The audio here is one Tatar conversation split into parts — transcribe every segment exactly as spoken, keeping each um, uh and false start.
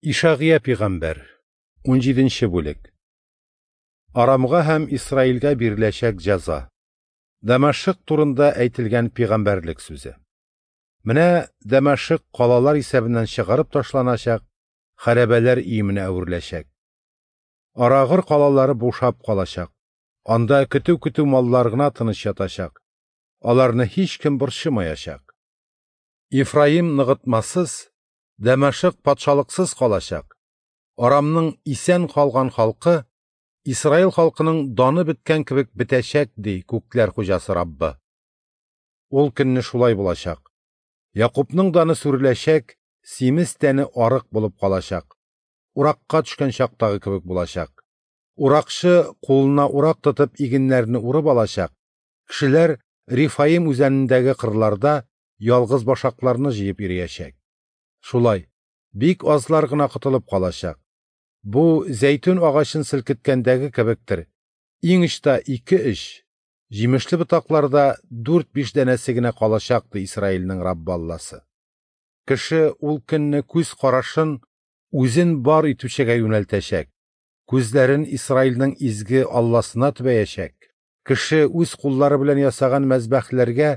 Ишагыя пигамбәр, унҗиденче бүлек. Арамга һәм Исраилгә биреләчәк җәза. Дәмәшек турында әйтелгән пигамбәрлек сүзе. Менә Дәмәшек калалар исәбеннән чыгарып ташланачак, хәрабәләр өеменә әвереләчәк. Арагыр калалары бушап калачак. Анда көтү-көтү маллар гына тыныч ятачак. Аларны һичкем борчымаячак. Ефраим ныгытмасыз, Дәмәшек патшалыксыз калачак. Арамның исән калган халкы Исраил халкының даны беткән кебек бетәчәк, ди күкләр хуҗасы Раббы. Ул көнне шулай булачак. Якупның даны сүреләчәк, симез тәне арык булып калачак. Уракка төшкән чактагы кебек булачак. Уракчы кулына урак тотып игеннәрне урып алачак. Кешеләр Рифаим үзәнендәге кырларда ялгыз башакларны җыеп йөриячәк. Шулай, бик азлар гына котылып калачак. Бу зәйтүн агачын селкеткәндәге кебектер. Иң очта ике-өч, җимешле ботакларда дүрт-биш данәсе генә калачак, ди Исраилнең Раббы Алласы. Кеше ул көнне күз карашын үзен бар итүчегә юнәлтәчәк. Күзләрен Исраилнең изге Алласына төбәячәк. Кеше үз куллары белән ясаган мәзбәхләргә,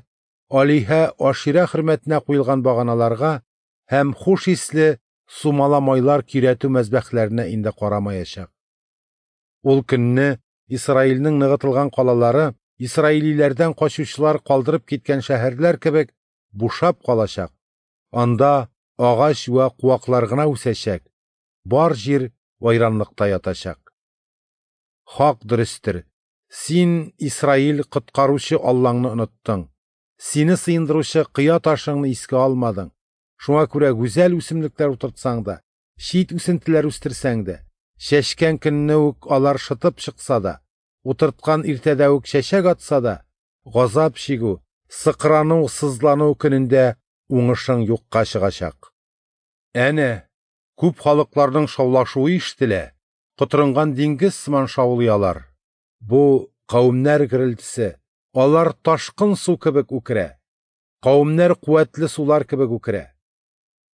алиһә Аширә хөрмәтенә куелган баганаларга һәм хуш исле сумала майлар көйрәтү мәзбәхләренә инде карамаячак. Ул көнне Исраилнең ныгытылган калалары исраилиләрдән качучылар калдырып киткән шәһәрләр кебек бушап калачак. Анда агач вә куаклар гына үсәчәк. Бар җир вайранлыкта ятачак. Хак дөрестер. Син, Исраил, коткаручы Аллаңны оныттың. Сине сыендыручы кыя ташыңны искә алмадың. Шуңа күрә гүзәл үсемлекләр утыртсаң да, чит үсентеләр үстерсәң дә, чәчкән көнне үк алар шытып чыкса да, утырткан иртәдә үк чәчәк атса да, газап чигү, сыкрану, сызлану көнендә уңышың юкка чыгачак. Әнә, күп халыкларның шаулашуы ишетелә, котырынган диңгез сыман шаулый алар. Бу кавемнәр гөрелтесе, алар ташкын су кебек үкерә. Кавемнәр куәтле сулар кебек үкерә.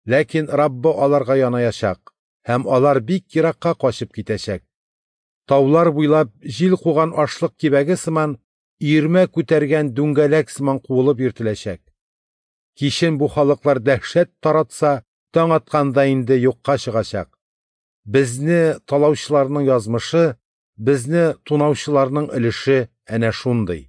Ләкин Раббы аларга янаячак, һәм алар бик еракка качып китәчәк. Таулар буйлап җил куган ашлык кибәге сыман, өермә күтәргән дүңгәләк сыман куылып йөртеләчәк. Кичен бу халыклар дәһшәт таратса, таң атканда инде юкка чыгачак. Безне талаучыларның язмышы, безне тунаучыларның өлеше әнә шундый.